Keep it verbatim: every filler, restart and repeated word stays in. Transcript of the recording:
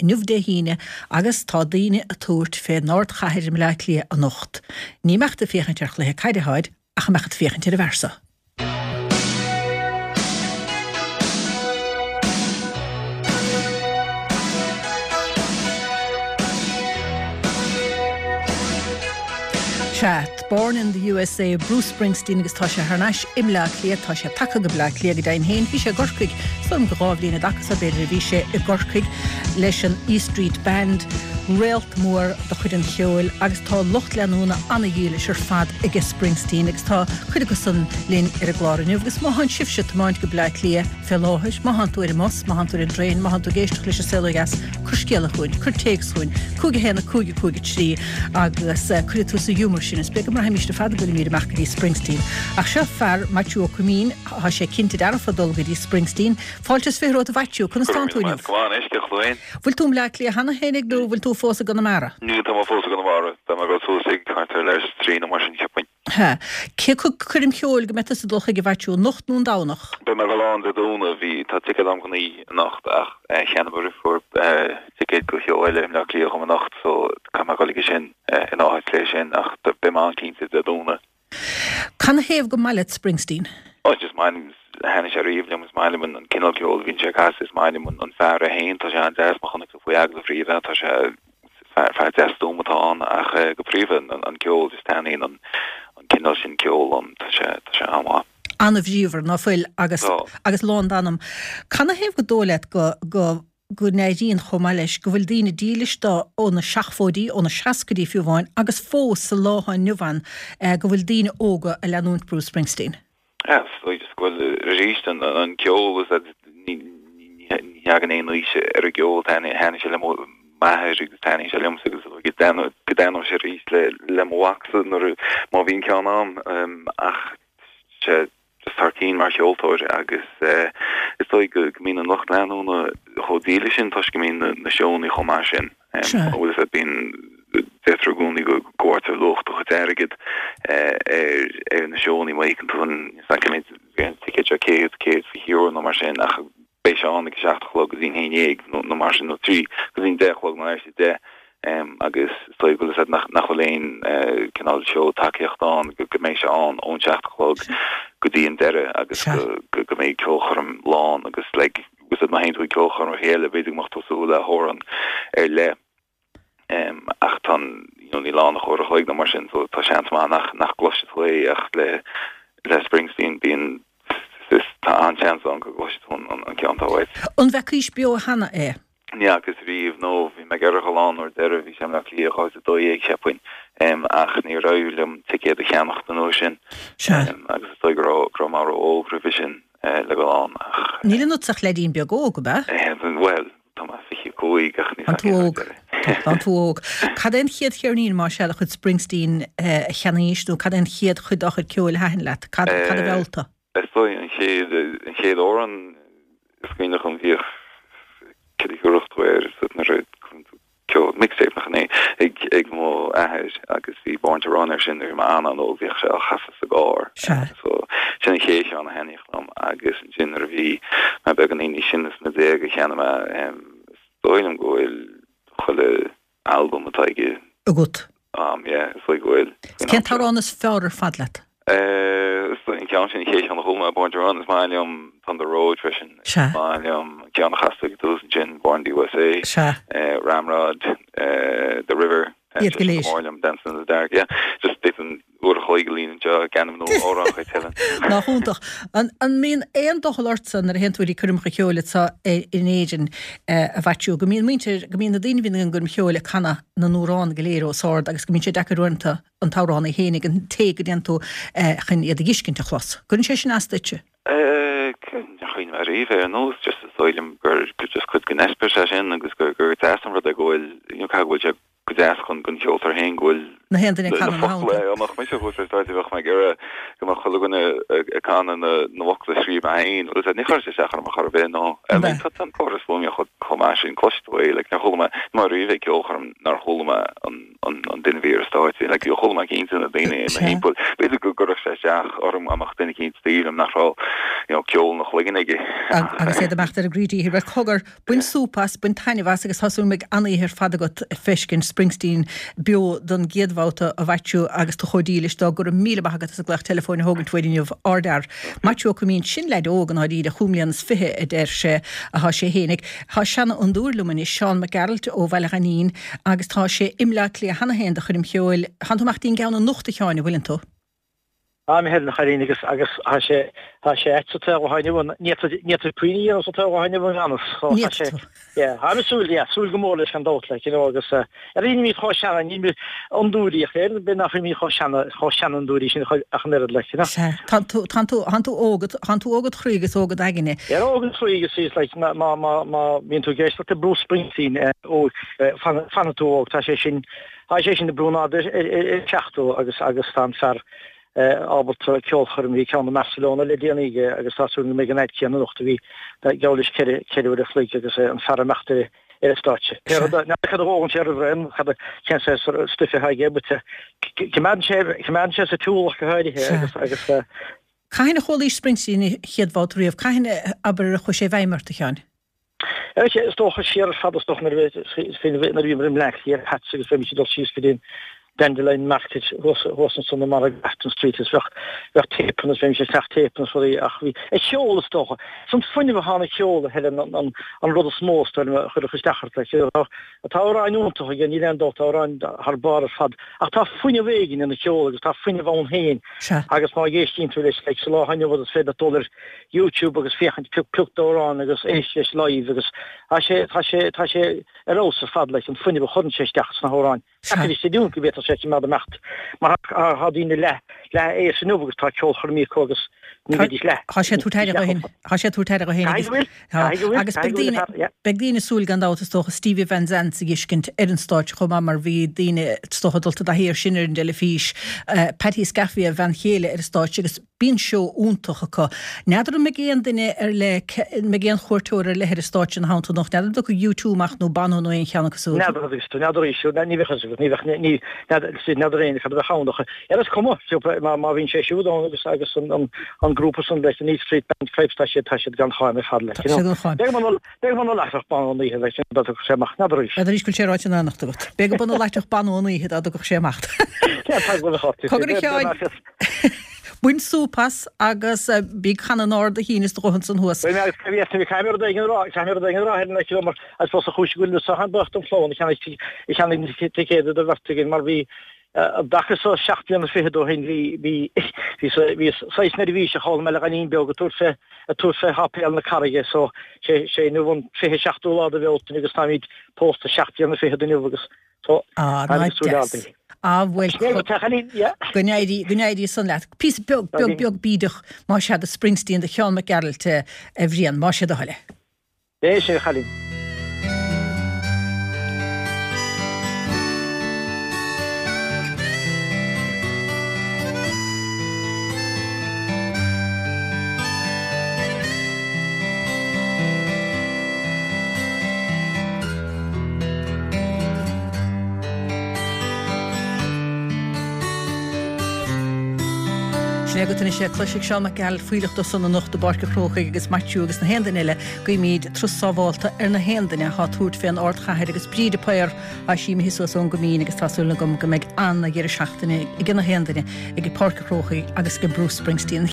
inniu Dé hAoine agus tá daoine ag tabhairt fén ardchathair i mBleá Cliath anocht. Ní mbeadh tú ag féachaint ar chluiche caide tháid ach a mbeadh tú ag féachaint ar an bhfear seo. Sea, Born in the USA, Bruce Springsteen agus tá sé thar n-ais i mBleá Cliath, tá sé tagtha go Bleá Cliath go deimhin féin, bhí sé i gCorcaigh, is dóigh liom gur dhá bhliain i dtaca so b'fhéidir a bhí sé i gCorcaigh leis an E Street Band, réalt mór de chuid an cheoil agus tá lucht leanúna ana-dhílis ar fad aige Springsteen agus tá cuid acusan linn ar an gclár inniu agus má thánn sibhse ag tiomáint go Bleá Cliath fé láthair, má thánn tú ar an mbus, má thánn tú ar an dtraein, má thánn tú ag éisteacht leis an Saol Ó Dheas, cuir scéala chugainn, cuir téacs chugainn, cúig a haon a cúig a cúig a trí agus cuirfidh tú sa ghiúmar sinn is b'fhéidir go mbraithfimís ar fad go bhfuilimid amach go dtí Springsteen. Ach seo fear, Maitiú Ó Coimín, tá sé cinnte dearfa dul go dtí Springsteen. Fáilte is fiche romhat a Mhaitiú, conas tánn tú inniu? Go maith anois, cén chaoi? Bhfuil tú i mBleá Cliath cheana féinig nó bhfuil tú fós i gConamara? Níl, tá mé fós i gConamara. Beidh mé ag dul suas ag thart ar leathuair tar éis a trí nó mar sin, cheapfainn. Sea. Cé acu coirm cheoil go mbeidh tusa ag dul chuige a Mhaitiú, anocht nó an Domhnach? Beidh mé ag dul ann Dé Domhnaigh. Bhí, tá ticéad agam chun oíche anocht ach cheannaigh mo dheirfiúr ticéad go sheó eile i mBleá Cliath dhom anocht so caithfidh mé dul aige sin in áit léi sin ach beidh mé ann cinnte Dé Domhnaigh. Canathaobh go maith leat Springsteen? Oh just maith liom, thaitnigh sé riamh liom, is maith liom an cineál ceoil a bhíonn sé ag casadh, is maith liom an fear é féin, tá sé an-deas, má chonaic tú faoi agallamh riamh é, tá sé Fear, fear deas stuama atá ann ach go príomha an ceol, just taitníonn an cineál sin ceoil liom, tá sé, tá sé an-mhaith. An-bhríomhar, ná fuil, agus, agus lán d'anam. Canathaobh go dóigh leat go, go, go n-éiríonn chomh maith leis, go bhfuil daoine dílis dó ó na seachmhóidí, ó na seascaidí fiú amháin, agus fós sa lá atá inniu ann, go bhfuil daoine óga a leanúint Bruce Springsteen? Is dóigh just go bhfuil arís an ceol is ní thagann aon aois ar an gceol, thaitnigh sé le m'athair agus taitníonn sé liomsa agus is dóigh go dtaitneoidh sé arís le mo mhacsa nuair má bhíonn ceann a'm ach sé just thar cinn mar cheoltóir agus is dóigh go mbíonn an lucht leanúna chomh dílis sin toisc go mbíonn na seónna chomh maith sin. Bhfuil a fhios agat bíonn deirtear i gcónaí go bhfaightear luach do chuid airgid ar na seónna má íocann tú an cé mhéad bhí an ticéad seo céad, céad fiche euro nó mar sin ach beidh sé ann ag a seacht a chlog go dtí an haon dhéag nó mar sin nó trí go dtí an deich a chlog nó leathuair tar éis a deich agus is dóigh go bhfuil a fhios agat nach nach bhfuil aon cineál seó tacaíochta ann go mbeidh sé ann ón seacht a chlog go dtí an deireadh agus go go mbeidh ceolchoirm lán agus like bhfuil a fhios agat má théann tú ag ceolchoirmeacha eile b'fhéidir go mbeadh tú ag súil le hamhrán ar leith ach tá an you know níl ann ach uair a chloig nó mar sin so tá seans maith nach nach gcloisfidh tú é ach le le Springsteen bíonn is tá an-seans ann go gcloisfidh tú an an ceann atá uait. An bhfeacaís beo cheana é? Ní fhacas riamh no bhí mé ag iarraidh a dhul ann uair deireadh bhí sé i mBleá Cliath dhá mhíle a dó dhéag cheapfainn ach níor éirigh liom ticéad a cheannacht an uair sin agus is dóigh go raibh go raibh mé ró-óg roimhe sin le dhul ann ach. Níl ionatsa ach leaidín beag óg, ab ea? Bhuel, tá mé fiche a cúig ach ní Tá tú óg. Tá tú óg. Cad é an chéad cheirnín, más ea, de chuid Springsteen a cheannaís nó cad é an chéad chuid dá chuid ceoil a thaitin leat? Cad cad a mheall tú? Is dóigh an chéad an chéad amhrán is cuimhneach liom bhíodh cad a thiúrfadh tú air nuair a cuireann tú ceol, mixtape nach in é, ag ag mo athair agus bhí Born to Run air sin nuair a bhí mé an-an-óg bhíodh sé á chasadh sa gcarr. Sea. So sin an chéad cheann a thaitníodh liom agus ansin nuair a bhí mé beagáinín níos sine sna déaga cheannaigh mé is dóigh liom go bhfuil chuile albam atá aige agat. Am, yeah, is dóigh go bhfuil. Is cén t-amhrán is fearr ar fad leat? Is dóigh an ceann sin, an chéad cheann a chuala mé, Born to Run, is maith liom Thunder Road freisin. Sea. Is maith liom an ceann a chas tú ag an tús ansin, Born in the USA. Sea. Ramrod, The River. Iad go léir. Go mór liom, Dancing in the Dark, yeah. Just d'fhéadfainn uair a chloig a líonadh anseo ag ainmniú amhrán chuid eile. Nach iontach. An mbíonn aon doicheall ortsa nuair a théann tú go dtí coirmeacha ceoil anseo in Éirinn, a Mhaitiú, go mbíonn muintir, go mbíonn na daoine a bhíonn ag an gcoirm cheoil ag canadh na n-amhrán go léir os ard agus go mbíonn sé deacair uaireanta an t-amhránaí féinig, an té go dtéann tú chun iad a dh'fheiscint a chlos. Gcuireann sé sin as duitse? Níor chuimhnigh mé ariamh air ar nós, just is dóigh liom gur just cuid den eispéireas é sin agus gur gur deas an rud é go bhfuil, you know, caithfidh go bhfuil sé go deas chun don cheoltóir féin go bhfuil Na haon duine ag na canadh na focla, hamhrán. dá mbeadh mise thuas ar stáitse bheadh mé ag iarraidh go mbeadh chuile dhuine ag canadh na na bhfocla a scríobh mé féin, bhfuil a fhios agat, ní chuireann sé isteach orm ar chor ar bith, no. I mean, tá an córas fuaime chomh chomh maith sin cloisfidh tú é like nár chuala mé mar riamh ag ceolchoirm nár chuala mé an an an duine a bhí ar an stáitse like chuala mé cinnte na daoine i mo thimpeall b'fhéidir go gcuirfeadh sé isteach orm dá mbeadh duine eicínt taobh liom nach raibh you know ceol ina chloigeann aige. Agus iad ag imeacht ar a gcroí díchill. Bhuel cogar, bain súp as, bain taitneamh as agus tá súil go mbeidh an-oíche ar fad agat ag feiscint Springsteen beo don gcéad bhabhta a Mhaitiú agus tú chomh dílis dó. Go raibh míle maith agat as an glaoch teileafóin a thógaint uainn inniu. Ardfhear. Maitiú Ó Coimín, sin leaid óg i ndáiríre, chúig mbliana is fiche a deir sé athá sé fhéinig. Tá seanfhondúir liom anois, Seán Mac Gearailt ó Bhaile Ghainín agus tá sé i mBleá Cliath cheana féin do choirm cheoil. Tánn tú amach dtí'n gceann anocht a Sheáin, an bhfuileann tú? Tá mé a chailín agus agus tá sé tá sé ait sa tsaol atá inniu ann. Ní fhéadfá ní fhéadfá puinn a dhéanamh sa tsaol atá inniu ann gan fhios. So Ní tá sé fhéadfá tú. yeah tá mé súil yeah súil go mór leis gan dabht like you know agus eh ar nílimid chomh seana nílimid fhondúirí ach ar bith nach bhfuilimid chomh seana chomh seanfhondúirí sin ach an oiread like you know. Sea. Tánn tú tánn tú tánn tú óg tánn tú óg id chroí agus óg id aigne. Yeah óg id chroí agus is like má má má má bhíonn tú ag éisteacht le Bruce Springsteen eh ó eh fan fanfaidh tú óg tá sé sin tá sé sin ag brú náid ar ar ar seachtó agus agus tá an fear ábalta ceolchoirm, bhí ceann i mBarcelona le déanaí aige agus tá súil go mbeidh an fhaid céanna anocht a bhí geall leis ceithre ceithre uair a chloig agus an fear ag imeacht ar ar an stáitse. Pé rud é, n'fheadar cad a dhógann sé roimh ré nó cad a cén saghas stuif atá aige but coimeádann sé coimeádann sé sa tsiúl ach go háirithe agus agus Cathain a chualaís Springsteen an chéad bhabhta riamh? Cathain, abair, a chuaigh sé i bhfeidhm ort, a Sheáin? Is dócha siar ar fad is dócha nuair a bhí nuair a bhíomar i mBleá Cliath Pats agus bheimis ag dul síos go dtí an Dandelion Market thuas thuas ansan i margadh Grafton Street is bheadh bheadh téipeanna is bheimis ag ceannach téipeanna is rudaí ach bhí a cheol is dócha. Is an fuinneamh atá ina cheol a Helen an an an rud is mó is dóigh liom a chuirfeadh isteach ort like tá tá amhráin iontacha aige níl aon dabht tá amhráin thar barr ar fad ach tá fuinneamh éigin ina cheol agus tá fuinneamh ann féin Sea. agus má éistíonn tú leis like sa lá inniu is féidir leat dul ar YouTube agus féachaint pioc pioc d'amhrán agus éist leis live agus tá sé tá sé tá sé ar fheabhas ar fad like an fuinneamh a chuireann sé isteach sna hamhráin. Sea. Is dóigh go bhféadfadh sé cimeád imeacht mar tá tá daoine leath leath aos inniu agus tá ceolchoirmí acu agus ní Tá bheidís leath tá sé ag tabhairt aire leath dó féin. Tá sé ag tabhairt aire dó féin Caithfidh agus go bhfuil tá caithfidh go bhfuil agus caithfidh beidh go bhfuil daoine fear yeah. beidh daoine ag súil gan dabht is dócha Stevie Van Zandt a dh'fheiscint ar an stáitse chomh maith mar bhí daoine is dócha dulta i dtaithí air sin ar an dteilifís. Uh, Patty Scaffey a bhean chéile ar an stáitse agus bíonn seó iontach acu. N'fheadar an mbeidh aon duine ar leith, an mbeidh aon chuairteoir ar leith ar an stáitse ina theannta anocht, n'fheadar an dtiocfaidh U two amach nó Bono nó aon cheann acu siúd. N'fheadar agus tú, n'fheadar arís, ní bheadh fhios agat, ní bheadh, ní, n'fheadar, n'fheadar éinne cad a bheadh ann ach ar is cuma, má, má bhíonn sé siúd ann agus, agus an, an, an grúpa san leis an E Street Band Cripes, tá siad, tá siad gan cháim ar fad leis, Tá siad gan cháim. B'fhéidir go mba, b'fhéidir go mba láithreach Bono an oíche leis, dá dtiocfadh sé amach, n'fheadar arís. N'fheadar arís go bhfuil sé ráite in anocht agat. B'fhéidir go mba láithreach Bono an oíche dá dtiocfadh sé amach. Cén fáth go bhfuil a chorp, Cogar a Sheáin. Bain súp as agus bí ag canadh in ard do chinn is do ghutha ansan thuas. Bhuel, mé, bhí, bhí, caithfidh mé rud éigin a rá, caithfidh mé rud éigin a rá, Helen, like, mar I suppose an chúis go bhfuil mé an-bhuíoch don chlann a cheannaigh, a cheannaigh na ticéid do bheirt againn mar bhí, an dtaca so seacht mbliana fichead ó shin, bhí, bhí, bhí, bhí saghas neirbhíseach ann mé le gainín beag ag tabhairt fé, ag tabhairt fé sháipéal na Carraige so sé, sé inniu an fiche seachtú lá de Bhealtaine agus táimid pósta seacht mbliana fichead inniu agus So, Ah, ná deas. Ah, bhuel, go n-éirí, go n-éirí san leat. Píosa beag, beag, beag bídeach, más ea, de Springsteen, do Sheán Mac Gearailt, a Bhriain, más é do thoil é. É sin, a chailín. Sin é agat anois é. Cloisfidh Seán Mac Gearailt fuílleach dó san anocht i bPáirc an Chrócaigh agus Maitiú agus na haon duine eile. Guímid turas sábhálta ar na haon duine atá ag tabhairt fén ardchathair agus Bríd de Paor tá sí imithe suas ón gCoimín agus tá súil agam go mbeidh an-dheireadh seachtaine ag na haon duine ag Páirc an Chrócaigh agus ag Bruce Springsteen.